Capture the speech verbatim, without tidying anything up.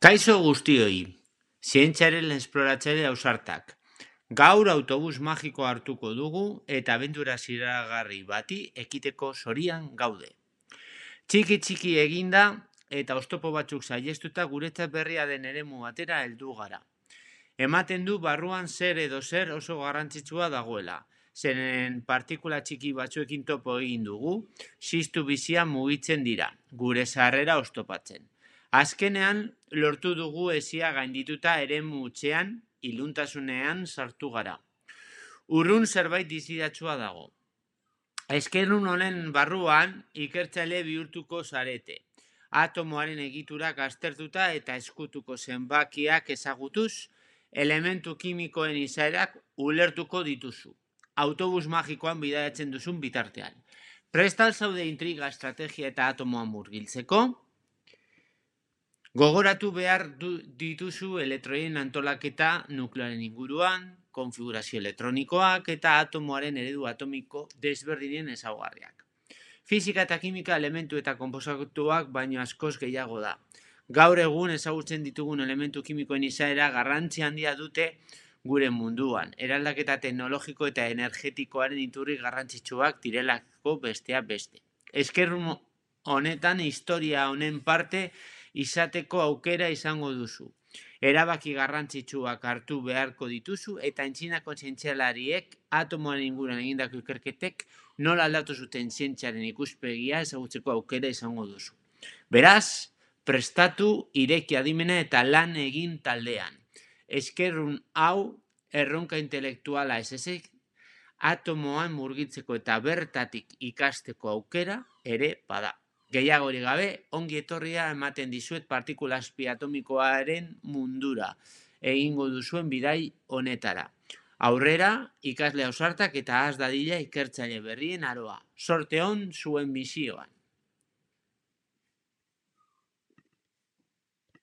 Kaixo guztioi, zientziaren esploratzaile ausartak. Gaur autobus magikoa hartuko dugu eta abendura ziragarri bati ekiteko zorian gaude. Txiki txiki eginda eta oztopo batzuk saihestuta guretzat berria den eremu batera heldu gara. Ematen du barruan zer edo zer oso garrantzitsua dagoela. Zeren partikula txiki batzuekin topo egin dugu, ziztu bizia mugitzen dira, gure sarrera oztopatzen. Azkenean, lortu dugu hesia gaindituta eremu hutsean, iluntasunean sartu gara. Urrun zerbait dizidatsua dago. Eskerun honen barruan ikertzaile bihurtuko zarete. Atomoaren egiturak aztertuta eta eskutuko zenbakiak ezagutuz, elementu kimikoen izaerak ulertuko dituzu. Autobus magikoan bidaiatzen duzun bitartean. Prestal zaude intriga, estrategia eta atomoa murgiltzeko? Gogoratu behar dituzu elektroien antolaketa nukleoaren inguruan, konfigurazio elektronikoak eta atomoaren eredu atomiko desberdinen ezaugarriak. Fisika eta kimika elementu eta konposatuak baino askoz gehiago da. Gaur egun ezagutzen ditugun elementu kimikoen izaera garrantzi handia dute gure munduan. Eraldaketa teknologiko eta energetikoaren iturri garrantzitsuak direlako besteak beste. Eskerrun honetan historia honen parte izateko aukera izango duzu. Erabaki garrantzitsuak hartu beharko dituzu eta antzinako zientzialariek atomoaren inguruan egindako ikerketek nola aldatu zuten zientziaren ikuspegia ezagutzeko aukera izango duzu. Beraz, prestatu ireki adimena eta lan egin taldean. Eskerrun hau erronka intelektuala ez ezik, atomoan murgitzeko eta bertatik ikasteko aukera ere bada. Gehiagori gabe, ongi etorria ematen dizuet partikula azpi atomikoaren mundura egingo duzuen bidai honetara. Aurrera, ikasle ausartak eta has dadila ikertzaile berrien aroa. Sorte on zuen misioan.